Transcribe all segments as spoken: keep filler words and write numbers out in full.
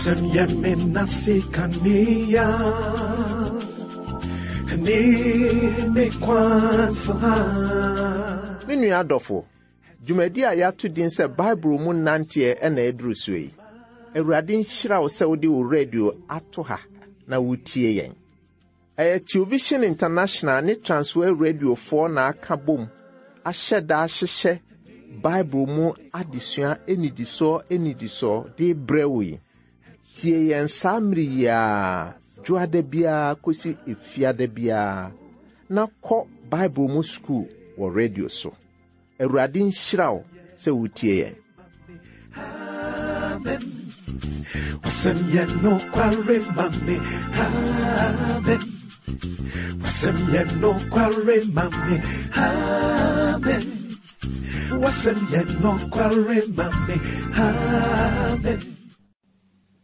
Wasɛm yɛ me nase kanea ne me kwan so ha. Me nua adɔfo, dwumadi a yɛato din sɛ Bible mu nanteɛ ɛna aduru so yi. Awurade nhyira wo sɛ wode wo radio ato ha na wotie yɛn. Ɛyɛ Television International ne Transworld Radiofoɔ na aka bom ahyɛ da ahyehyɛ Bible mu adesua anidisoɔ anidisoɔ de brɛ wo yi. Tie yɛn saa mmere yi a dwoada biara kɔsi efiada biara na kɔ Bible mu sukuu wɔ radio so. Awurade nhyira wo sɛ wotie yɛn. Amen. Wasɛm yɛ nokware ma me. Amen. Wasɛm yɛ nokware ma me. Amen. Wasɛm yɛ nokware ma me. Amen.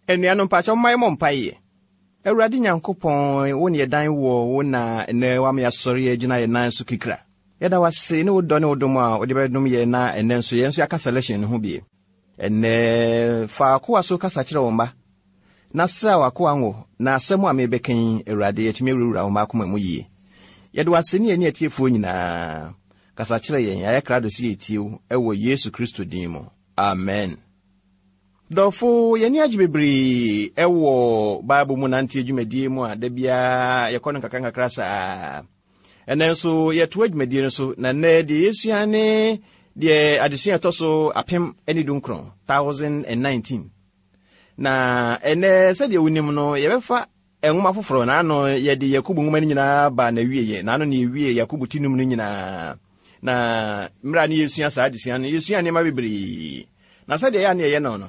Anuanom, mpakyɛ momma yɛmmɔ mpaeɛ. Awurade Nyankopɔn, wo ne yɛdan wɔ wo na ɛnɛ wama yɛasɔre agyina yɛn nan so kikra. Yɛda wase ne wo dɔ ne wo dom a wode bɛdom yɛn na ɛnɛ nso yɛn nso yɛaka selection no ho bie. Ɛnɛ fa akoa so kasa kyerɛ wo mma na sra w'akoa ngo na asɛm a mebɛka yi, Awurade, yɛtumi awurawura wo mma akoma mu yie. Yɛde wase ne yɛne atiefoɔ nyinaa. Kasa kyerɛ yɛn, yɛayɛ krado sɛ yɛtie wo ɛwɔ Yesu Kristo din mu. Amen. Dɔfo, yɛni agye bebree ɛwɔ Bible mu nante dwumadie mu a da biara yɛkɔ no nkakra nkakra saa. Ɛnɛ nso yɛtoa dwumadie no so, na nnɛ deɛ yɛsua ne deɛ adesua ɛtɔ so apem ne dunkron, thousand and nineteen. Na ɛnɛ sɛdeɛ wonim no, yɛbɛfa nwoma foforɔ na ano yɛde Yakobo nwoma no nyinaa ba na wieɛ, na ano ne yɛwie Yakobo ti num no nyinaa. Na mmerɛ a ne yɛsua saa adesua no, yɛsua nneɛma bebree. Na sɛdeɛ ɛyɛ a ne yɛyɛ no no,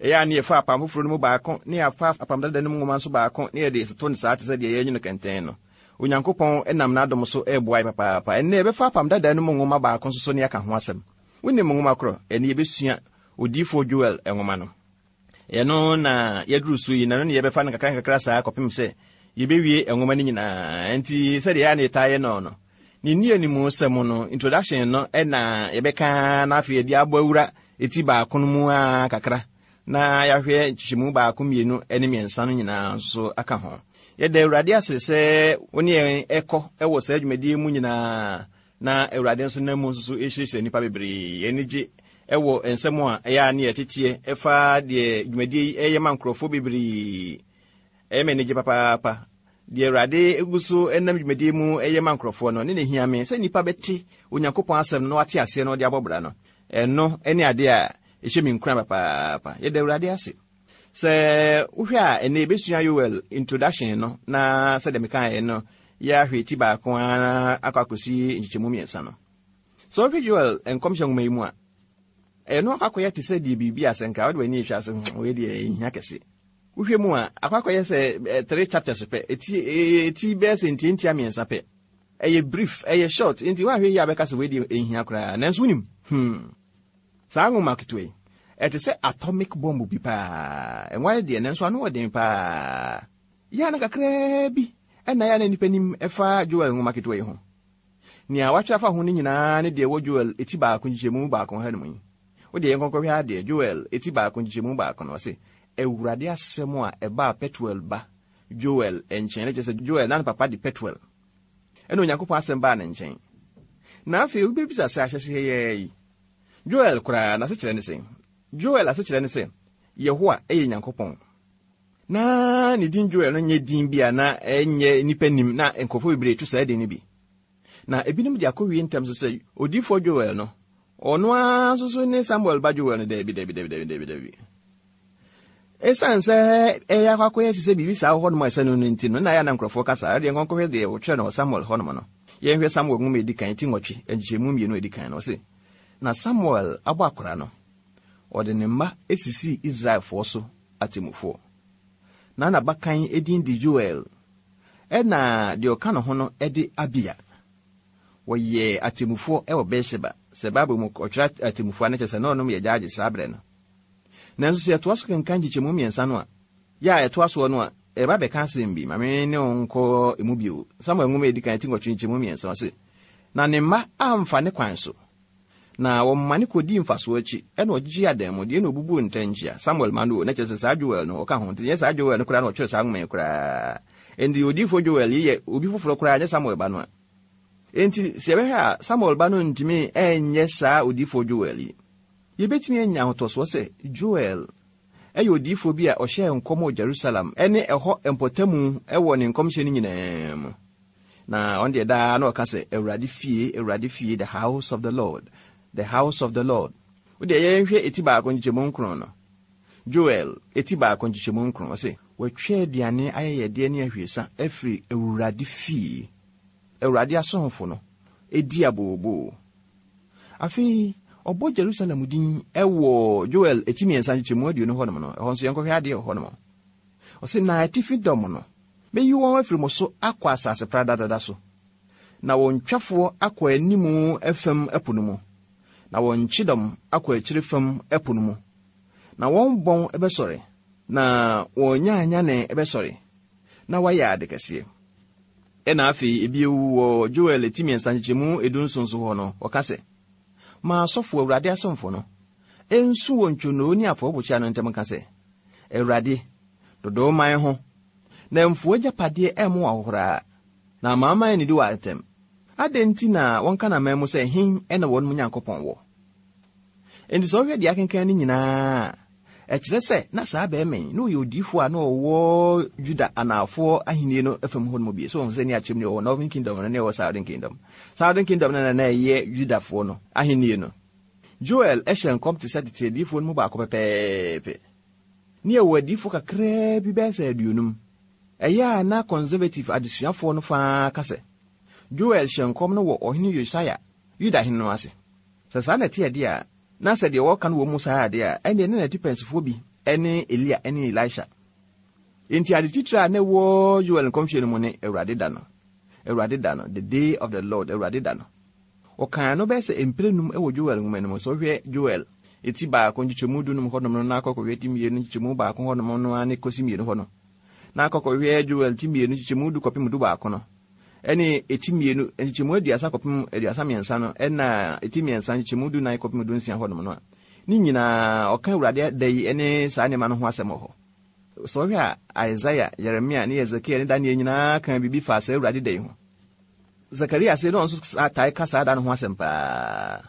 ɛyɛ a ne yɛfa apam foforɔ no mu baako, ne yɛafa apam dada no mu nwoma nso baako, ne yɛde toto no saa te sɛ deɛ yɛnyi no kɛntɛn no. Onyankopɔn nam n'adom so ɛreboa yɛ papaapa. Ɛnnɛ yɛbɛfa apam dada no mu nwoma baako nso so ne yɛaka ho asɛm. Wonim nwoma korɔ, ɛne yɛbɛsua Odiyifoɔ Joel nwoma no. Ɛno na yɛduru so yi, na ɛno ne yɛbɛfa no nkakra nkakra saa kɔpem sɛ yɛbɛwie nwoma no nyinaa. Nti sɛdeɛ ɛyɛ a ne yɛtaa yɛ no no, ne nnianimu sɛm no, introduction no, ɛna yɛbɛka na afei yɛde abɔ awura eti baako no mu a kakra, na yɛahwɛ nkyekyɛmu baako, mmienu ne mmiɛnsa no nyinaa nso aka ho. Yɛda Awurade ase sɛ wo ne yɛn ɛkɔ ɛwɔ saa dwumadie mu nyinaa, na Awurade nso nam mu nso so ɛhyirahyira nnipa bebree. Yɛn ani gye ɛwɔ nsɛm a ɛyɛ a ne yɛteteɛ ɛfa deɛ dwumadie yi ɛyɛ ma nkurɔfoɔ bebree. Ɛyɛ me anigye papaapa. Deɛ Awurade egu so ɛnam dwumadie mu ɛyɛ ma nkurɔfoɔ no, ne ne hia me sɛ nnipa bɛte Onyankopɔn asɛm no na wate aseɛ na ɔde abɔ bra no. Ɛno ɛne adeɛ a ɛhyɛ me nkuran papaapa. Yɛda Awurade ase. Sɛ wohwɛ a ɛnɛ yɛbɛsua Yoel introduction no, na sɛdeɛ mekaeɛ no, yɛahwɛ ti baako ara akɔ akɔsi nkyekyɛmu mmiɛnsa no. Sɛ wohwɛ Yoel nkɔmhyɛ nwoma yi mu a, ɛno akɔ akɔyɛ te sɛ deɛ biribi a sɛ nka wode w'ani hwɛ ase, hmm, wei deɛ ɛhia kɛse. Wohwɛ mu a, akɔ akɔyɛ sɛ, eh, three chapters pɛ, eti, eh, eti bɛyɛ sɛ ntiantia mmiɛnsa pɛ. Ɛyɛ brief, ɛyɛ short, nti woanhwɛ yie a bɛka sɛ wei deɛ ɛhia koraa. Nanso wonim, hmm, saa nwoma ketewa yi, ɛte sɛ atomic bomb bi paa. Ɛnwa deɛ, nanso ano wɔ den paa. Yɛ na kakraa bi ɛna yɛ na nipa nim ɛfa Joel nwoma ketewa yi ho. Nea watwerɛ afa ho no nyinaa ne deɛ ɛwɔ Joel eti baako nkyekyɛmu baako ha no mu yi. Wo deɛ yɛnkɔnkɔhwɛ adeɛ, Joel eti baako nkyekyɛmu baako no, ɔse, Awurade asɛm a ɛbaa Petuel ba Joel nkyɛn. Ne kyerɛ sɛ Joel na ne papa de Petuel. Ɛna Onyankopɔn asɛm baa ne nkyɛn. Na afei obi bɛbisa sɛ ahyɛse yɛyɛ yi, Joel koraa n'asekyerɛ ne sɛn? Joel asekyerɛ ne sɛ Yehowa ɛyɛ Nyankopɔn. Na ne din Joel no nyɛ din bi a na ɛnyɛ nnipa nim, na nkurɔfoɔ bebree to saa din no bi. Na ebinom de akɔwie ntam so sɛ odiyifoɔ Joel no, ɔno ara nso so ne Samuel ba Joel no. Daabi, daabi, daabi, daabi, daabi, daabi. Ɛsiane sɛ ɛyɛ akɔ akɔyɛ te sɛ biribi saa wɔ hɔnom a ɛsɛ no no nti no, na ɛyɛ na nkurɔfoɔ kasa. Ɛdeɛ nkɔnkɔhwɛ deɛ wɔtwerɛ no wɔ Samuel hɔnom no. Yɛnhwɛ Samuel nwoma a ɛdi kan, ti nwɔtwe, nkyekyɛmu mmienu a ɛdi kan no, ɔse, na Samuel abɔ akora no, ɔde ne mma esisii Israelfoɔ so atemmufoɔ. Na n'abakan edin de Joel, ɛna deɛ ɔka ne ho no de Abia. Wɔyɛ atemmufoɔ wɔ Beersheba. Sɛ Bible mu ɔtwerɛ atemmufoɔ a, ne kyerɛ sɛ na ɔnom yɛ gyaagye saa berɛ no. Nanso sɛ yɛtoa so kenkan nkyekyɛmu mmiɛnsa no a, yɛ a ɛtoa soɔ no a, ɛba bɛka asɛm bi. Ma me ne wo nkɔ emu bio. Samuel nwoma a ɛdi kan ti nwɔtwe nkyekyɛmu mmiɛnsa, ɔse, na ne mma amfa ne kwan so, Na wɔmane kɔdii mfasoɔ akyi, ɛna ɔgyegye adanmudeɛ na obubuu ntɛnkyea. Samuel ma no o, na kyerɛ sɛ saa Joel no ɔka ho. Nti nyɛ saa Joel no koraa na ɔtwerɛ saa nwoma yi koraa. Enti odiyifoɔ Joel yi yɛ obi foforɔ koraa, nyɛ Samuel ba no a. Enti sɛ yɛbɛhwɛ a, Samuel ba no ntumi ɛnyɛ saa odiyifoɔ Joel yi. Yɛbɛtumi anya ahotɔsoɔ sɛ Joel ɛyɛ odiyifoɔ bi a ɔhyɛɛ nkɔm wɔ Jerusalem ɛne ɛhɔ mpɔtamu ɛwɔ ne nkɔmhyɛ no nyinaa mu. Na ɔno deɛ daa na ɔka sɛ Awurade fie, Awurade fie, the house of the Lord, the house of the Lord. Wo deɛ yɛnhwɛ eti baako nkyekyɛmu nkron no. Joel eti baako nkyekyɛmu nkron, ɔse wɔatwa aduane ayɛyɛdeɛ ne ahwiesa afiri Awurade fie. Awurade asomfo no edi abooboo. Afei ɔbɔ Jerusalem din ɛwɔ Joel eti mmiɛnsa nkyekyɛmu aduonu hɔnom no. Ɛhɔ nso yɛnkɔhwɛ adeɛ wɔ hɔnom. Ɔse na atifi dɔm no meyi wɔn afiri mo so akɔ asase pradadada so, na wɔn twafoɔ akɔ animu fam ɛpo no mu, na wɔn kyidɔm akɔ akyire fam ɛpo no mu, na wɔn bɔn ɛbɛsɔre, na wɔn nyaanyane ɛbɛsɔre, na wɔayɛ ade kɛseɛ. Ɛna afei ebio wɔ Joel eti mmiɛnsa nkyekyɛmu edu nson so hɔ no, ɔka sɛ, ma asɔfo Awurade asomfo no ensu wɔ ntwonoo ne afɔrebukyia no ntam nka sɛ, Awurade, dodow man ho, na mfuo agyapadeɛ ɛmmo ahohoraa, na amanaman anidi wɔ atɛm. Adɛn nti na wɔnka n'aman mu sɛ hen ɛna wɔn mu Nyankopɔn wɔ? Enti sɛ wohwɛ deɛ akenkan no nyinaa, ɛkyerɛ sɛ na saa bɛrima yi na ɔyɛ odiyifoɔ a na ɔwɔ Juda anaafoɔ ahenni no fam hɔ no mu bi. So wɔn sɛ ne akyɛm ne ɔwɔ Northern Kingdom no ne ɔwɔ Southern Kingdom. Southern Kingdom no na na ɛyɛ Judafoɔ no ahenni no. Joel ɛhyɛ nkɔm te sɛ tete adiyifoɔ no mu baako pɛpɛɛpɛ. Ne ɛwɔ adiyifoɔ kakraa bi bɛyɛ sɛ aduonum. Ɛyɛ a na conservative adesuafoɔ no faa ka sɛ Joel hyɛ nkɔm no wɔ ɔhene Yosia, Yuda hene no ase. Sɛ saa na ɛte ɛdeɛ a, na sɛ deɛ wɔka no wɔ mu saa adeɛ a, ɛnneɛ ne n'atipɛnsifoɔ bi ɛne Elia ɛne Elisha. Enti ade titire a na ɛwɔ Joel nkɔmhyɛ no mu ne Awurade da no. Awurade da no, the day of the Lord, Awurade da no. Ɔkaa no bɛyɛ sɛ mprɛnum ɛwɔ Joel nwoma no mu. Sɛ wohwɛ Joel eti baako nkyekyɛmu dunum hɔnom no na akɔkɔhwɛ ti mmienu nkyekyɛmu baako hɔnom no ara ne kɔsi mmienu hɔ no. Na akɔkɔhwɛ Joel ti mmienu nkyekyɛmu du kɔpem du baako no. Ɛne eti mmienu nkyekyɛmu aduasa kɔpem aduasa mmiɛnsa no, ɛna eti mmiɛnsa nkyekyɛmu du nan kɔpem du nsia hɔnom no a, ne nyinaa ɔka Awurade da yi ne saa nneɛma no ho asɛm wɔ hɔ. Sɛ wohwɛ a Isaiah, Jeremia ne Hesekiel ne Daniel nyinaa ka biribi fa saa Awurade da yi ho. Zakaria sɛ na ɔno nso tae ka saa da no ho asɛm paa.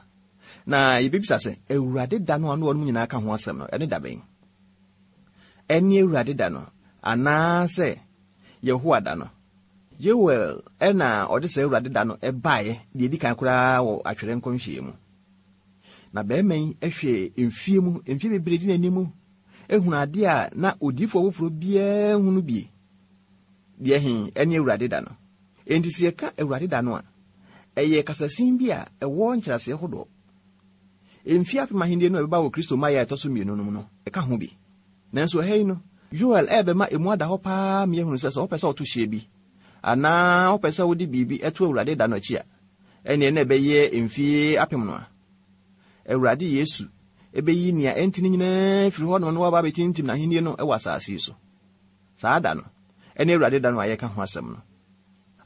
Na yɛbɛbisa sɛ Awurade da no a na wɔn nyinaa ka ho asɛm no, ɛne da bɛn? Ɛne Awurade da no anaasɛ Yehowa da no? Joel ɛna ɔde saa Awurade da no ɛbaeɛ deɛ ɛdi kan koraa wɔ atwerɛ nkɔmhyɛ mu. Na bɛrima yi hwɛ mfie mu, mfie bebree di n'anim, ehunu adeɛ a na odiyifoɔ foforɔ biara hunu bie. Deɛ he ɛne Awurade da no. Enti sɛ yɛka Awurade da no a, ɛyɛ kasasin bi a ɛwɔ nkyerɛaseɛ hodoɔ. Mfie apem ahenni no a ɛbɛba wɔ Kristo mmaeɛ a ɛtɔ so mmienu no mu no, ɛka ho bi. Nanso ɛha yi no, Joel ɛrebɛma emu ada hɔ paa ma yɛhunu sɛ sɛ wopɛ sɛ woto hyeɛ bi, anaa wopɛ sɛ wode biribi ɛto Awurade da no akyi a, ɛneɛ na ɛbɛyɛ mfie apem no a, Awurade Yesu ɛbɛyi nea ɛnti no nyinaa firi hɔnom na waba abɛtintim n'ahenni no ɛwɔ asase yi so. Saa da no, ɛne Awurade da no a yɛka ho asɛm no.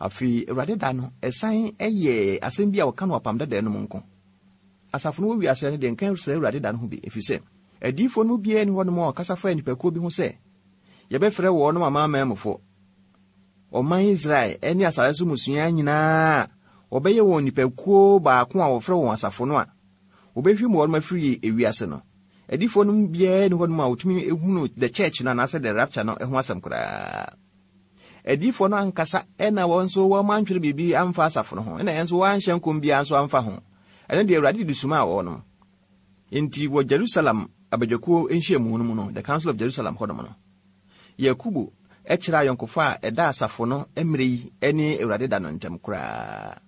Afei Awurade da no, ɛsan ɛyɛ asɛm bi a wɔka no apam dada no mu nko. Asafo no wɔ wiase no deɛ nka sɛ Awurade da no ho bi, ɛfiri sɛ adiyifoɔ no biara ni hɔnom a ɔkasa fa nnipakuo bi ho sɛ yɛbɛfrɛ wɔn amanamanmufoɔ. Ɔman Israel ɛne asase so mmusua nyinaa wɔbɛyɛ wɔn nnipakuo baako a wɔfrɛ wɔn asafo no a wɔbɛhwim wɔn afiri ewiase no. Adiyifoɔ no biara ni hɔnom a wɔtumi ehunu the church no anaasɛ the rapture no ho asɛm koraa. Adiyifoɔ no ankasa ɛna wɔn nso wɔn antwerɛ biribi amfa asafo no ho, ɛna yɛn nso wɔanhyɛ nkɔm biara nso amfa ho. Ɛno deɛ Awurade de suma a wɔn. Enti wɔ Jerusalem abadwakuo nhyiamu no mu no, the Council of Jerusalem hɔnom no, Yakubu ɛkyerɛ ayɔnkofa a ɛda asafo no mmerɛ yi ne Awurade da no ntam koraa.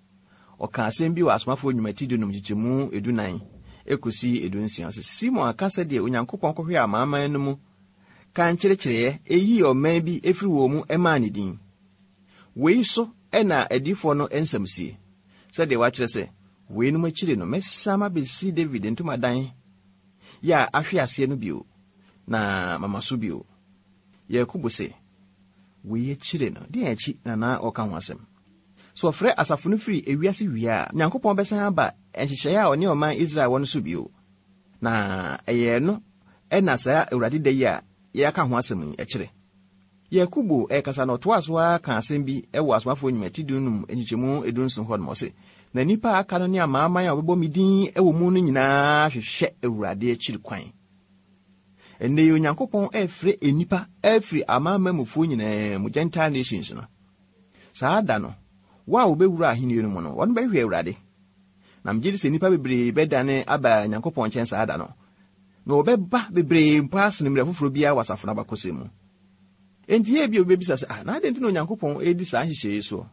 Ɔka asɛm bi wɔ asomafoɔ nnwuma ti dunum nkyekyɛmu edunan ekosi edunsia sɛ Simon aka sɛdeɛ Onyankopɔn kɔhwɛɛ amanaman no mu ka nkyerɛkyerɛeɛ eyii ɔman bi efiri wɔn mu ɛmaa ne din. Wei so ɛna adiyifoɔ no nsɛm sie, sɛdeɛ wɔatwerɛ sɛ, weinom akyiri no mɛsan abɛsi David ntomadan yɛ a ahwe aseɛ no bio, na mama so bio. Yakubu se, wei akyire no, deɛ akyi na na ɔka ho asɛm. Sɛ ɔfrɛ asafo no firi ewiase wie a, Nyankopɔn bɛsan aba nhyehyɛeɛ a ɔne ɔman Israel wɔ no so bio. Na ɛyɛ no ɛna saa Awurade da yi a yɛaka ho asɛm yi ɛkyerɛ. Yakobo ɛkasa na ɔtoa so ara ka asɛm bi ɛwɔ Asomafoɔ Nnwuma ti dunum nkyekyɛmu edunson hɔ nom, ɔse, na nnipa a aka no ne amanaman a wɔbɛbɔ me din ɛwɔ mu no nyinaa hwehwɛ Awurade akyiri kwan. Ɛnnɛ yi Onyankopɔn ɛrefrɛ nnipa afiri amanamanmufoɔ nyinaa mu, Gentile nations no. Saa da no, wɔn a wɔbɛwura ahenni no mu no, wɔn bɛhwehwɛ Awurade. Na megye di sɛ nnipa bebree bɛdane aba Nyankopɔn nkyɛn saa da no. Na wɔbɛba bebree mpo asene mmerɛ foforɔ biara wɔ asafo no abakɔsɛm mu. Enti yɛ bi a wobɛbisa sɛ, ah, na adɛn nti na Onyankopɔn redi saa nhyehyɛeɛ yi soɔ?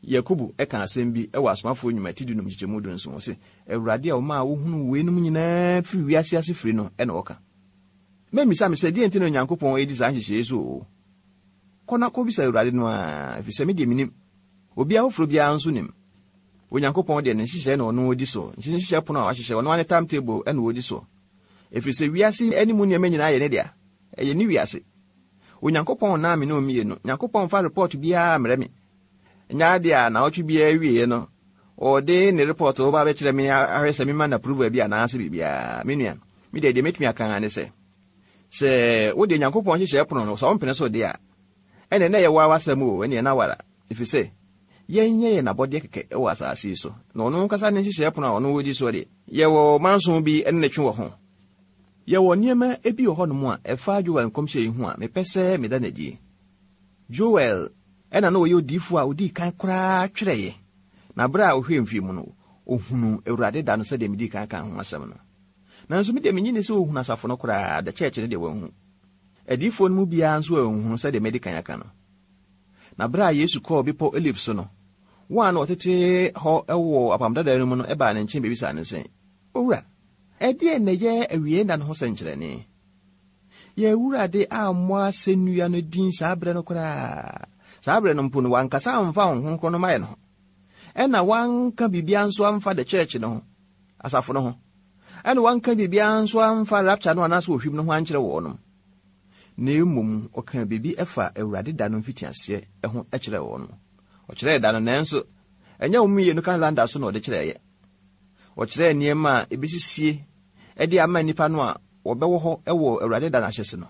Yakobo ɛka asɛm bi ɛwɔ Asomafoɔ Nnwuma ti dunum nkyekyɛmu dunson, ɔse, Awurade a ɔmaa wohunuu weinom nyinaa firi wiase ase firi no ɛna ɔka. Memmisa me sɛ, deɛn nti na Onyankopɔn redi saa nhyehyɛeɛ yi so o? Kɔ na kɔbisa Awurade no ara, ɛfiri sɛ me deɛ menim. Obiara foforɔ biara nso nim. Onyankopɔn deɛ ne nhyehyɛeɛ na ɔno ɔdi so. Nti nhyehyɛeɛ pono a wahyehyɛ, ɔno ara ne timetable ɛna ɔdi so. Ɛfiri sɛ wiase anim nneɛma nyinaa yɛ ne dea. Ɛyɛ ne wiase. Onyankopɔn naa me ne mmienu. Nyankopɔn mfa report biara mmerɛ me. Nyɛ adeɛ a naawɔtwe biara wieɛ no, ɔde ne report ɔba bɛkyerɛ me ahwɛ sɛ mema no approval bi anaasɛ biribiara. Me nua, me deɛ deɛ mɛtumi aka ne sɛ, sɛ wode Nyankopɔn hyehyɛ pono no, sɛ wompene so deɛ a, ɛnɛ na ɛyɛ wo awasɛm o, ɛneɛ na wara. Ɛfiri sɛ, yɛnyɛ yɛn abɔdeɛ kɛkɛ wɔ asase yi so. Na ɔno ankasa ne nhyehyɛeɛ pono a ɔno wɔdi soɔ deɛ, yɛwɔ manson bi ne ne twe wɔ ho. Yɛwɔ nneɛma bi wɔ hɔnom a ɛfa Joel nkɔmhyɛ yi ho a mepɛ sɛ meda no adi. Joel ɛna na ɔyɛ odiyifoɔ a odii kan koraa twerɛeɛ. Na berɛ a ɔhwɛɛ mfie mu no, ohunu Awurade da no sɛdeɛ medii kan ka ho asɛm no. Nanso me deɛ menye ne sɛ ohunu asafo no koraa, the church no deɛ wanhu. Adiyifoɔ no mu biara nso anhunu sɛdeɛ madi kan aka no. Na berɛ a Yesu kɔɔ bepɔ Olive so no, wɔn a na wɔtete hɔ wɔ apam dada no mu no baa ne nkyɛn bɛbisaa no sɛ, Owura, ɛdeɛn na ɛyɛ awie nna no ho sɛnkyerɛnne? Yɛn Awurade ammɔ asɛnnua no din saa berɛ no koraa. Saa berɛ no mpo no, wankasa amfa Honhom Kronkron no mmaeɛ no ho. Ɛna wanka biribiara nso amfa the church no ho, asafo no ho. Ɛna wanka biribiara nso amfa rapture no anaasɛ ohwim no ho ankyerɛ wɔnom. Na mmom ɔka biribi ɛfa Awurade da no mfitiaseɛ ho kyerɛ wɔnom. Ɔkyerɛɛ da no, nanso ɛnyɛ wɔn mmienu calendar so na ɔde kyerɛeɛ. Ɔkyerɛɛ nneɛma a ebisisie ɛde ama nnipa no a wɔbɛwɔ hɔ ɛwɔ Awurade da no ahyɛse no.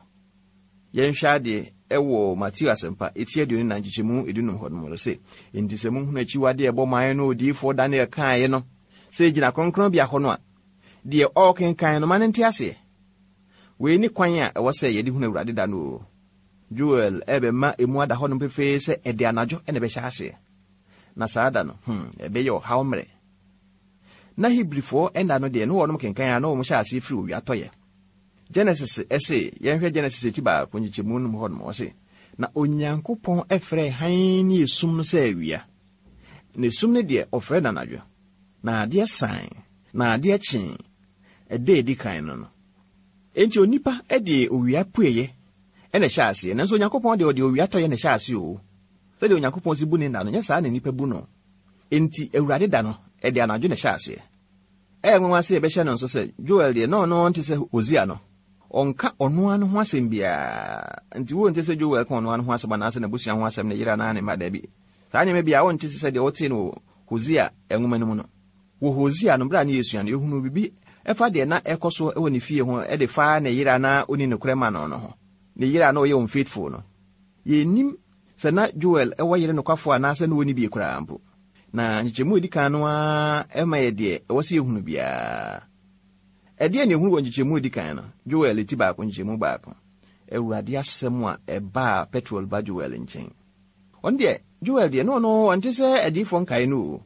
Yɛnhwɛ adeɛ ɛwɔ Mateo asɛmpa eti aduonu nan nkyekyɛmu edunum hɔ nom sɛ, enti sɛ mohunu akyiwadeɛ ɛbɔ man no odiyifoɔ Daniel kaeɛ no sɛ egyina kronkronbea hɔ no a, deɛ ɔrekenkan no ma no nte aseɛ. Wei ne kwan a ɛwɔ sɛ yɛde hunu Awurade da no o. Joel ɛbɛma emu ada hɔ nom pefee sɛ ɛde anadwo ɛna ɛbɛhyɛ aseɛ. Na saa da no, hmm, ɛbɛyɛ ɔhaw mmerɛ. Na Hebrifoɔ ɛnda no deɛ, ne wɔnom kenkan a na wɔn hyɛ aseɛ firi owia tɔyɛ. Genesis ɛse, yɛnhwɛ Genesis eti baako nkyekyɛmu num hɔ nom, ɔse, na Onyankopɔn ɛfrɛ hann ne esum no sɛ awia. Na esum no deɛ, ɔfrɛ no anadwo. Na adeɛ san, na adeɛ kyee, ɛda edi kan no no. Enti onipa ɛde owia pueɛ ɛna ɛhyɛ aseɛ, nanso Onyankopɔn deɛ ɔde owia tɔyɛ na ɛhyɛ aseɛ o. Sɛdeɛ Onyankopɔn si bu ne nna no, nyɛ saa na nipa bu no. Enti Awurade da no, ɛde anadwo na ɛhyɛ aseɛ. Ɛyɛ nwanwa sɛ yɛbɛhyɛ no nso sɛ Joel deɛ, na ɔno nte sɛ Hosea no. Ɔnka ɔno ano ho asɛm biara. Nti wonte sɛ Joel ka ɔno ano ho asɛm anaasɛ n'abusua ho asɛm, ne yere anaa ne mma, daabi. Saa nneɛma bi a wonte sɛ deɛ wɔte no wɔ Hosea nwoma no mu no. Wɔ Hosea no, berɛ a ne yɛsua no, yɛhunu biribi ɛfa deɛ na ɛkɔ so wɔ ne fie ho ɛde fa ne yere anaa ɔni nokorɛ ma no no ho. Ne yere a na ɔyɛ unfaithful no. Yɛnnim sɛ na Joel ɛwɔ yere nokwafoɔ anaasɛ na ɔnni bi koraa mpo. Na nkyekyɛmu a edi kan no ara ɛma yɛ deɛ ɛwɔ sɛ yɛhunu biara. Ɛdeɛ na yɛhunu wɔ nkyekyɛmu a edi kan no, Joel ti baako nkyekyɛmu baako. Awurade asɛm a ɛbaa Petuel ba Joel nkyɛn. Ɔno deɛ, Joel deɛ, no ɔno ɔnte sɛ adiyifoɔ nkae no o.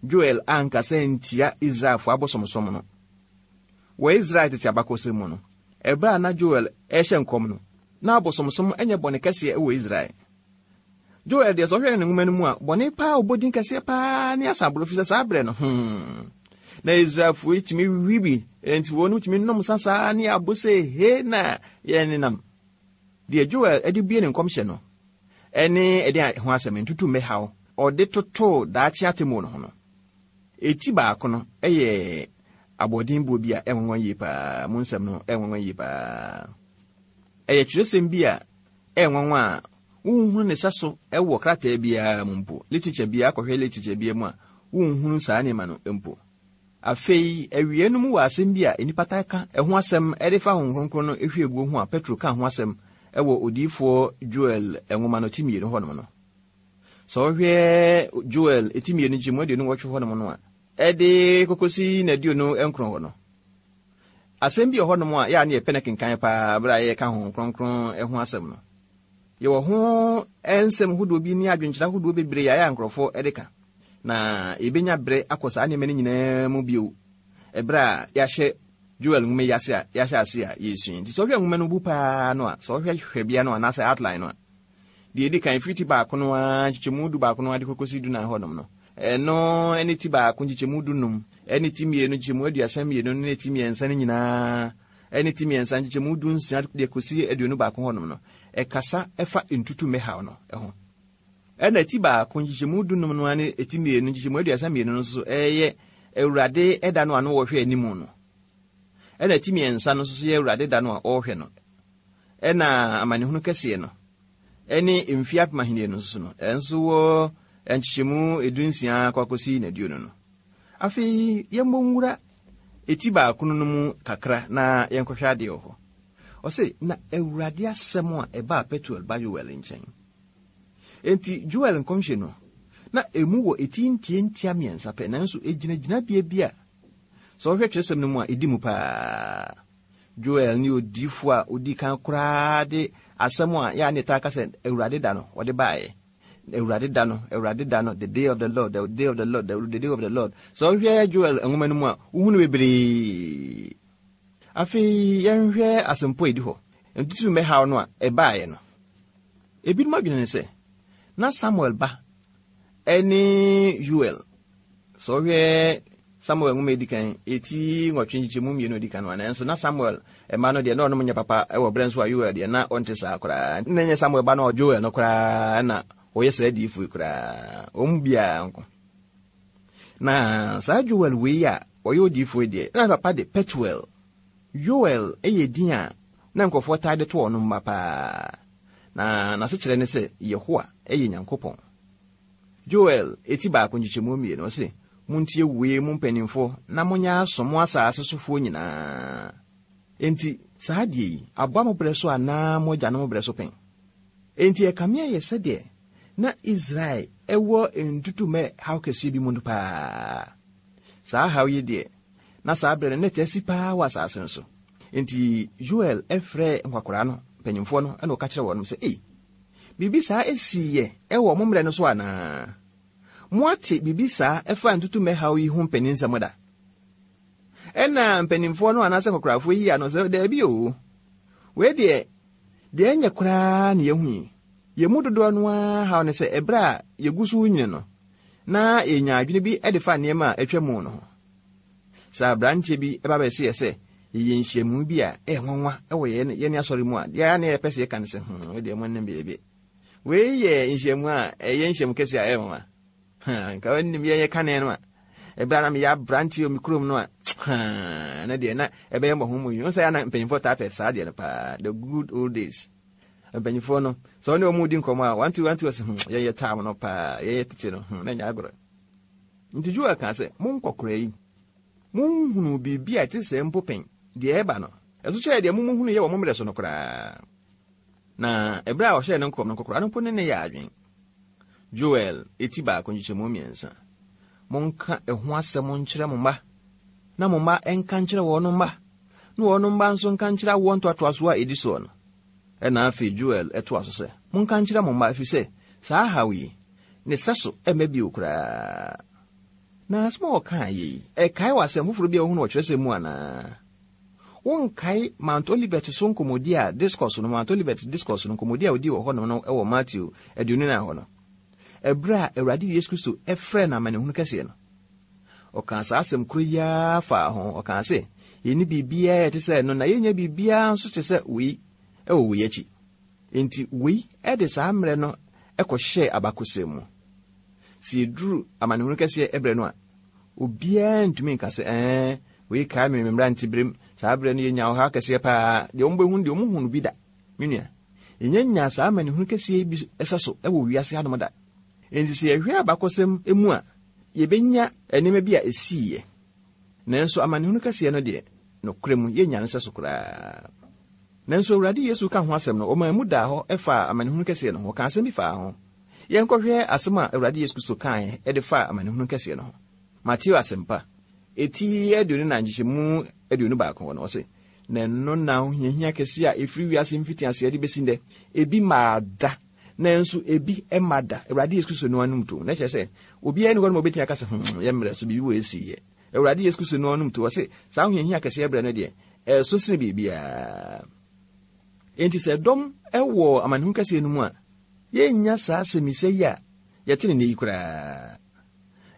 Joel ankasa ntia Israelfoɔ abosomsom no. Wɔ Israel tete abakɔsɛm mu no, ɛberɛ a na Joel ɛrehyɛ nkɔm no, na abosomsom nyɛ bɔne kɛseɛ wɔ Israel. Joel deɛ, sɛ ɔhwɛ ne nwoma no mu a, bɔne paa ɔbɔ din kɛseɛ paa ne asaboro fi sɛ saa berɛ no, hmm. Na Israelfoɔ yi tumi wi bi, enti wɔn tumi nom sa saa ne abo sɛ he na yɛn nenam. Deɛ Joel de bue ne nkɔmhyɛ no, ɛne ɛde ho asɛm ntutu mmɛhaw, ɔde totoo daakye atemmuo no ho no. Eti baako no ɛyɛ aboɔdenboɔ bi a ɛnwanwa yie paa, mu nsɛm no ɛnwanwa yie paa. Ɛyɛ twerɛsɛm bi a ɛnwanwa a Wonhunu ne sɛso wɔ krataa biara mu mpo. Literature biara, akɔhwɛ literature biara mu a, wonhunu saa nneɛma no mpo. Afei, awie no mu wɔ asɛm bi a nnipa taa ka ɛho asɛm de fa Honhom Kronkron no hwieguo ho a Petro ka ho asɛm wɔ odiyifoɔ Joel nwoma no ti mmienu hɔnom no. Sɛ wohwɛ Joel ti mmienu nkyɛmu aduonu nwɔtwe hɔnom no a, ɛde kokosi n'aduonu nkron hɔ no. Asɛm bi wɔ hɔnom a yɛa ne yɛpɛ no kenkan paa bere a yɛka Honhom Kronkron ho asɛm no. Yɛwɔ ho nsɛm hodoɔ bi ne adwenkyerɛ ahodoɔ bebree a yɛ a nkurɔfoɔ de ka. Na yɛbɛnya bere akɔ saa nneɛma no nyinaa mu bio ɛberɛ a yɛahyɛ Joel nwoma yi ase a yɛahyɛ ase a yɛresua. Nti sɛ wohwɛ nwoma no bu paa no a, sɛ wohwɛ hwɛbea no anaasɛ outline no a, deɛ ɛdi kan firi ti baako no ara nkyekyɛmu du baako no ara de kɔkɔsi du nan hɔnom no, ɛno ne ti baako nkyekyɛmu du num, ɛne ti mmienu nkyekyɛmu aduasa mmienu ne ti mmiɛnsa no nyinaa, ɛne ti mmiɛnsa nkyekyɛmu du nsia de kɔsi aduonu baako hɔnom no, ɛkasa ɛfa ntutummɛ haw no ho. Ɛna ti baako nkyekyɛmu du num no ara ne ti mmienu nkyekyɛmu aduasa mmienu no nso ɛyɛ Awurade ɛda no a no wɔhwɛ anim no. Ɛna ti mmiɛnsa no nso yɛ Awurade da no a ɔrehwɛ no. Ɛna amanehunu kɛseɛ no ɛne mfeɛ apem ahenni no nso no, ɛnso wɔ nkyekyɛmu edu nsia kɔ akɔsi n'aduonu no. Afei yɛmmɔ nwura eti baako no mu kakra na yɛnkɔhwɛ adeɛ wɔ hɔ. Ɔse, na Awurade asɛm a ɛbaa Petuel ba Yoel nkyɛn. Enti Joel nkɔmhyɛ no, na emu wɔ eti ntiantia mmiɛnsa pɛ, nanso egyinagyina bea bi a sɛ wohwɛ twerɛsɛm no mu a, ɛdi mu paa. Joel ne odiyifoɔ a odi kan koraa de asɛm a yɛa ne taa ka sɛ Awurade da no, ɔde baeɛ. Awurade da no, Awurade da no, the day of the Lord, the day of the Lord, the day of the Lord. Sɛ wohwɛ Joel nwoma no mu a, wohunu bebree. Afei yɛnhwɛ asɛmpo a ɛdi hɔ. Ntutummɛ haw no a ɛbaeɛ no. Ebinom adwene ne sɛ, na Samuel ba ɛne Yoel. Sɛ wohwɛ Samuel nwoma edi kan, eti nwɔtwe nkyekyɛmu mmienu edi kan no, nanso na Samuel ɛma no deɛ na ɔnom nyɛ papa ɛwɔ berɛ nso a Yoel deɛ na ɔnte saa koraa. Na ɛnyɛ Samuel ba no Joel no koraa na ɔyɛ saa adiyifoɔ yi koraa. Wɔn mu biara nko. Na saa Joel wei a ɔyɛ odiyifoɔ yi deɛ, na papa de Petuel. Yoel yɛ din a na nkurɔfoɔ taa de to ɔno mma paa. Na n'asekyerɛ ne sɛ Yehowa yɛ Nyankopɔn. Joel eti baako nkyekyɛmu mmienu ɔse, montie wei mu mpanimfoɔ na monyɛ aso mo asase sofoɔ nyinaa. Enti saa adeɛ yi, aboa mo berɛ so anaa mo agyanom berɛ so pɛn? Enti ɛkame ayɛ sɛdeɛ na Israel ɛwɔ ntutummɛ haw kɛseɛ bi mu no paa. Saa haw yi deɛ, na saa berɛ no na ɛte asi paa wɔ asase no so. Enti Joel ɛfrɛ nkwakoraa no, mpanyimfoɔ no, ɛna ɔka kyerɛ wɔn sɛ, ei, biribi saa esiiɛ ɛwɔ mo mmerɛ no so anaa? Moate biribi saa ɛfa ntutummɛ haw yi ho mpaninsɛm da? Ɛna mpanimfoɔ no anaasɛ nkwakorafoɔ yi ano sɛ, daabi o, wei deɛ, deɛ ɛnyɛ koraa na yɛhu yi. Yɛn mu dodoɔ no ara haw ne sɛ ɛberɛ a yɛgu so nyini no, na yɛnya adwene bi de fa nneɛma a atwa mu no ho. Sɛ aberanteɛ bi ɛba bɛsi yɛ sɛ yɛyɛ nhyiamu bi a ɛyɛ nwanwa ɛwɔ yɛn yɛn asɔre mu a, deɛ na yɛpɛ sɛ yɛka ne sɛ, hmm, wei deɛ mo nnim biribi. Wei yɛ nhyiamu a ɛyɛ nhyiamu kɛseɛ a ɛyɛ nwanwa. Nka wɔnnim yɛn yɛ kane no a, ɛberɛ a na meyɛ aberanteɛ wɔ me kurom no a, na deɛ na ɛbɛyɛ mmɔho mu yi. Wo sɛ yɛ na mpanyimfoɔ taa pɛ saa deɛ no paa, the good old days. Mpanyimfoɔ no, sɛ wɔne wɔn di nkɔmmɔ a, one two one two ɔsɛ, hmm, yɛyɛ tam no paa, yɛyɛ tete no, hmm, na nyɛ agorɔ. Nti Joel kaa sɛ, mo nkɔkora yi, monhunu biribi a ɛte sɛ mpo pɛn, deɛ ɛba no, ɛso kyerɛ deɛ momuhunu yɛ wɔ mo mmerɛ so no koraa. Na ɛberɛ a ɔhyɛɛ ne nkɔm no, nkɔkora no mpo ne ne yɛ adwen. Joel eti baako nkyekyɛmu mmiɛnsa. Monka ɛho asɛm nkyerɛ mo mma, na mo mma nka nkyerɛ wɔn mma, na wɔn mma nso nka nkyerɛ awoɔ ntoatoasoɔ a ɛdi soɔ no. Ɛna afei Joel ɛtoa so sɛ, monka nkyerɛ mo mma, ɛfiri sɛ saa haw yi, ne sɛso ɛmma bio koraa. Na asɛm a ɔkaa yɛ yi, ɛkae wɔ asɛm foforɔ bi a wohunu wɔ kyerɛsɛm mu anaa? Wonkae Mount Olivet so nkɔmmɔdi a discourse no, Mount Olivet discourse no, nkɔmmɔdi a ɔdii wɔ hɔnom no wɔ Matthew aduonu nan hɔ no. Ɛberɛ a Awurade Yesu Kristo ɛfrɛɛ no amanehunu kɛseɛ no, ɔkaa saa asɛm koro yi ara faa ho. Ɔkaa sɛ, yɛnni biribiara a ɛte sɛ ɛno, na yɛnnya biribiara nso te sɛ wei ɛwɔ wei akyi. Enti wei ɛde saa mmerɛ no ɛkɔhyɛɛ abakɔsɛm mu. Sɛ yɛduru amanehunu kɛseɛ ɛberɛ no a, obiara ntumi nka sɛ, ɛɛ, wei kae me me mmeranteberem, saa berɛ no yɛnya ɔhaw kɛseɛ paa. Deɛ wɔn bɛhu deɛ wɔn hu no bi da. Me nua, Yɛnya nya saa amanehunu kɛseɛ bi ɛsɛ so ɛwɔ wiase hanom da. Enti sɛ yɛhwɛ abakɔsɛm mu a, yɛbɛnya nneɛma bi a ɛsiiɛ. Nanso amanehunu kɛseɛ no deɛ, nokorɛ mu yɛnya no sɛ so koraa. Nanso Awurade Yesu ka ho asɛm no, ɔmaa mu daa hɔ ɛfaa amanehunu kɛseɛ no ho. Ɔka asɛm bi faa ho. Yɛnkɔhwɛ asɛm a Awurade Yesu Kristo kaeɛ ɛde faa amanehunu kɛseɛ no ho. Mateo asɛmpa, eti aduonu na nkyekyɛmu aduonu baako hɔ no, ɔse, na ɛno na ahohiahia kɛseɛ a ɛfiri wiase mfitiaseɛ de bɛsi nnɛ, ebi maa da, nanso ebi ɛma da. Awurade Yesu Kristo no anom to. Na kyerɛ sɛ, obiara nni hɔ nom a obɛtumi aka sɛ, hmm, yɛ mmerɛ so biribi wɔ esiiɛ. Awurade Yesu Kristo no anom to. Ɔse, saa ahohiahia kɛseɛ berɛ no deɛ, ɛso sene biribiara. Enti sɛ dɔm ɛwɔ amanehunu kɛseɛ no mu a, yɛnnya saa asɛmmisa yi a yɛte ne nne yi koraa.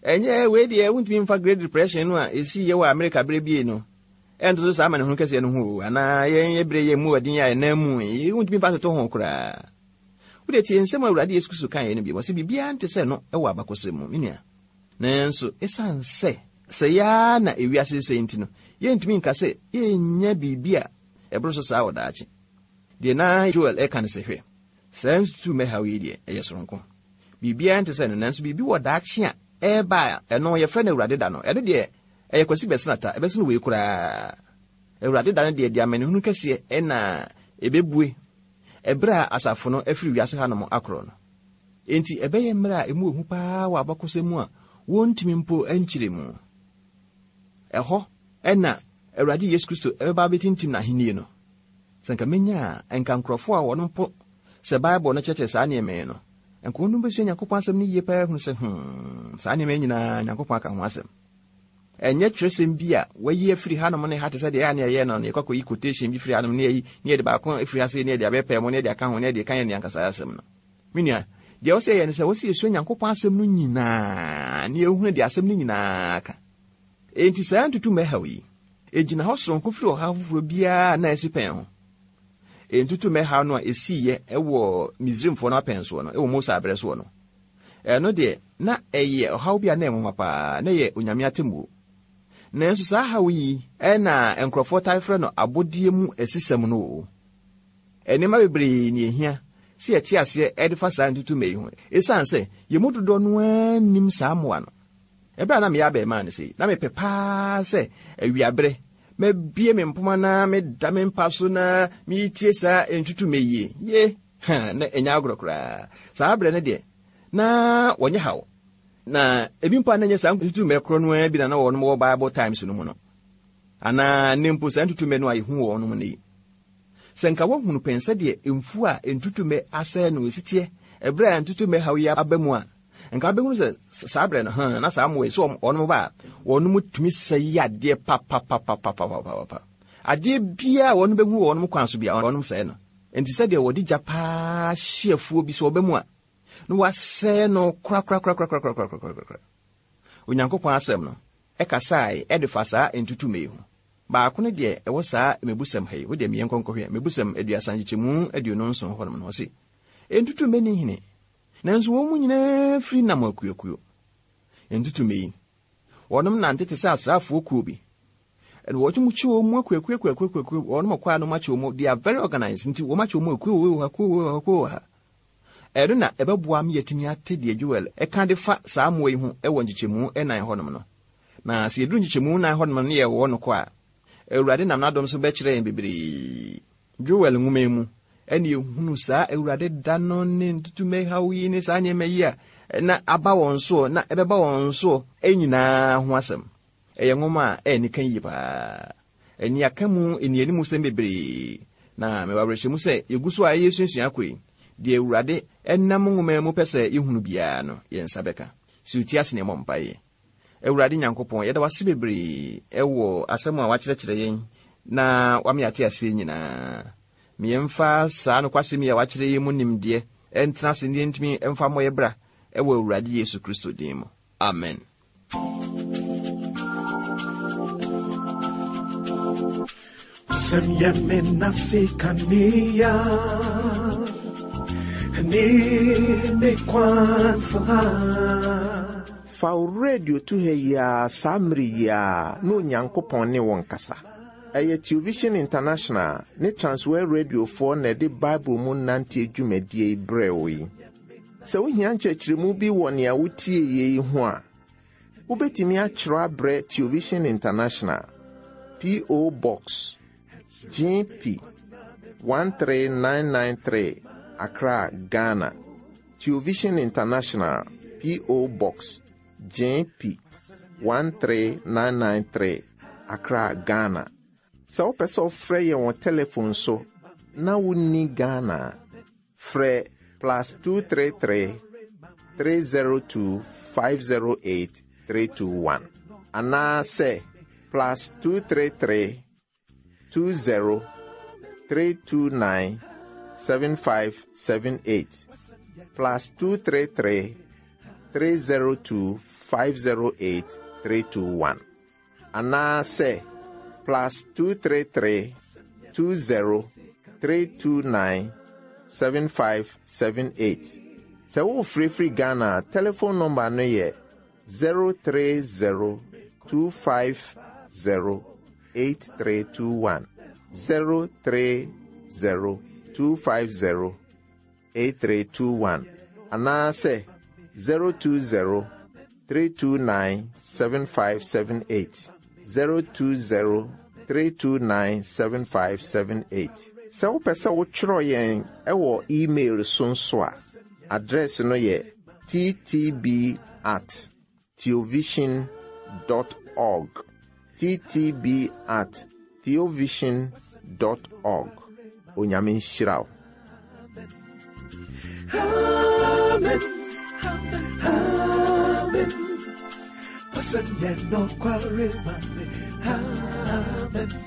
Ɛnyɛ wei deɛ wontumi mfa Great Depression no a ɛsii yɛ wɔ Amerika berɛ bie no ɛntoto saa amanehunu kɛseɛ no ho o, anaa yɛn yɛ berɛ yɛ mu ɔden a ɛnam mu yi, wontumi mfa toto ho koraa. Wode tie nsɛm a Awurade Yesu Kristo kaeɛ no bi, ɔse biribiara nte sɛ no ɛwɔ abakɔsɛm mu, me nua. Nanso ɛsiane sɛ sɛ yɛa na ewiase sɛ nti no, yɛntumi nka sɛ yɛnnya biribi a ɛboro so saa wɔ daakye. Deɛ na Joel ɛka no sɛ, hwɛ, saa ntutummɛ yi deɛ ɛyɛ soronko. Biribiara nte sɛ no, nanso biribi wɔ daakye a ɛreba a ɛno yɛfrɛ no Awurade da no. Ɛno deɛ ɛyɛ Kwasi Bɛsenata, ɛbɛsene wei koraa. Awurade da no deɛ de amanehunu kɛseɛ ɛna ɛbɛbue ɛberɛ a asafo no afiri wiase hanom akorɔ no. Enti ɛbɛyɛ mmerɛ a emu ehu paa wɔ abakɔsɛm mu a wɔntumi mpo nkyerɛ mu. Ɛhɔ ɛna Awurade Yesu Kristo ɛbɛba abɛtintim n'ahennie no. Sɛ nka menya a, nka nkurɔfoɔ a wɔn mpo sɛ Bible no kyerɛkyerɛ saa nneɛma yi no, nka wɔn bɛsua Nyankopɔn asɛm no yie paa hunu sɛ, hmm, saa nneɛma yi nyinaa Nyankopɔn aka ho asɛm. Ɛnyɛ twerɛsɛm bi a wɔayi afiri hanom ne ha te sɛ deɛ ɛyɛ a ne yɛyɛ no, ne yɛkɔ akɔyi quotation bi firi hanom ne yɛyi, ne yɛde baako afiri ha sei, ne yɛde abɛpɛɛ mu, ne yɛde aka ho, ne yɛde ka yɛn ne ankasa asɛm no. Me nua, deɛ wɔsɛ yɛ ne sɛ wɔsɛ yɛsua Nyankopɔn asɛm no nyinaa, ne yɛhunu deɛ asɛm no nyinaa ka. Enti saa ntutummɛ haw yi, egyina hɔ soronko firi ɔhaw foforɔ biara na ɛsi pɛn ho. Ntutummɛ haw no a esiiɛ ɛwɔ Misraimfoɔ no apɛn soɔ no, ɛwɔ Mose abrɛ soɔ no, ɛno deɛ na ɛyɛ ɔhaw bi a na ɛnwanwa paa, na ɛyɛ Onyame atemmuo. Nanso saa haw yi ɛna nkurɔfoɔ tae frɛ no abɔdeɛ mu asisɛm no o. Nneɛma bebree ne ehia sɛ yɛte aseɛ ɛde fa saa ntutummɛ yi ho. Esiane sɛ yɛn mu dodoɔ no ara nim saa mmoa no. Ɛberɛ a na meyɛ abɛɛmaa no sei, na mepɛ paa sɛ awiaberɛ mabie me mpoma na meda me mpa so na metie saa ntutummɛ yie. Ye, ha, na ɛnyɛ agorɔ koraa. Saa berɛ no deɛ, na wɔnyɛ haw. Na ebi mpo a na ɛnyɛ saa ntutummɛ korɔ no ara bi na na wɔnom wɔ Bible Times no mu no. Anaa ne mpo saa ntutummɛ no a yɛhu wɔ wɔnom no yi. Sɛ nka woahunu pɛn sɛdeɛ mfuo a ntutummɛ asɛe no esi teɛ, ɛberɛ a ntutummɛ haw yi aba mu a, nka wobɛhunu sɛ saa berɛ no, ha, na saa mmoa yi, sɛ wɔnom ba a, wɔnom tumi sɛe adeɛ papapapapapapa. Adeɛ biara a wɔnom bɛhu wɔ wɔnom kwan so biara, wɔnom sɛe no. Enti sɛdeɛ wɔde gya paa hye afuo bi so ɔba mu a, na wɔasɛe no korakorakorakorakorakorakorakora. Onyankopɔn asɛm no ɛkasae ɛde fa saa ntutummɛ yi ho. Baako no deɛ ɛwɔ saa mmebusɛm ha yi, wo deɛ mmiɛ nkɔnkɔhwɛ, mmebusɛm aduasa nkyekyɛmu aduonu nson hɔnom no, ɔse, ntutummɛ ni hene, nanso wɔn mu nyinaa firi nam akuakuo. Ntutummɛ yi, wɔnom nante te sɛ asraafoɔ kuo bi. Ɛna wɔn mu kye wɔn mu akuakuo akuakuo akuakuo, wɔnom kɔ a no akyɛ wɔn mu, they are very organized, nti wɔn akyɛ wɔn mu akuo wɔ ha, kuo wɔ ha, kuo wɔ ha. Ɛno na ɛbɛboa me yɛtumi ate deɛ Joel ɛka de fa saa mmoa yi ho ɛwɔ nkyekyɛmu ɛnan hɔnom no. Na sɛ yɛduru nkyekyɛmu nan hɔnom no ne yɛwɔ no kɔ a, Awurade nam n'adom so bɛkyerɛ yɛn bebree. Joel nwoma yi mu, ɛne yɛhunu saa Awurade da no ne ntutummɛ haw yi ne saa nneɛma yi a na aba wɔn soɔ na ɛbɛba wɔn soɔ nyinaa ho asɛm. Ɛyɛ nwoma a ɛyɛ nika yie paa. Ɛne aka mu nnianimu sɛm bebree. Na mewɔ awerɛhyɛmu sɛ yɛgu so a yɛsuasua akɔ yi, deɛ Awurade ɛnam nwoma mu pɛ sɛ yɛhunu biara no, yɛn nsa bɛka. Si wo ti ase na yɛmmɔ mpaeɛ. Awurade Nyankopɔn, yɛda wo ase bebree ɛwɔ asɛm a wakyerɛkyerɛ yɛn na wama yɛate aseɛ nyinaa. Ma yɛmfa saa nokwasɛm yi a wakyerɛ yɛn mu nimdeɛ ɛntena ase na yɛntumi mfa mmɔ yɛ bra ɛwɔ Awurade Yesu Kristo din mu. Amen. Sem yemen nasi kania, ni ne kwansa. Fa wo radio to ha yi ara, saa mmere yi ara, na Onyankopɔn ne wo nkasa. Ɛyɛ Television International ne Transworld Radiofoɔ na ɛde Bible mu nanteɛ dwumadie yi brɛɛ wo yi. Sɛ wohia nkyerɛkyerɛmu bi wɔ nea wotie yei ho a, wobɛtumi akyerɛw abrɛ Television International, P O. Box G P one three nine nine three, Accra, Ghana. Television International, P O. Box G P one three nine nine three, Accra, Ghana. Sɛ wopɛ sɛ wofrɛ yɛn wɔ telephone so na wonni Ghana a, frɛ plus two three three, three zero two, five zero eight three two one anaasɛ plus two three three, two zero, three two nine, seven five seven eight, plus two three three, three zero two, five zero eight three two one anaasɛ plus two three three, two zero, three two nine, seven five seven eight. Sɛ wofirifiri Ghana a, telephone number no yɛ zero three zero, two five zero, eight three two one, zero three zero, two five zero, eight three two one anaasɛ zero two zero, three two nine, seven five seven eight, zero two zero, three two nine, seven five seven eight. Sɛ wopɛ sɛ wotwerɛ yɛn ɛwɔ email so nso a, address no yɛ T T B at theovision dot org, T T B at theovision dot org. Onyame nhyira wo. Amen. Amen. W'asɛm yɛ nokware ma me. Amen.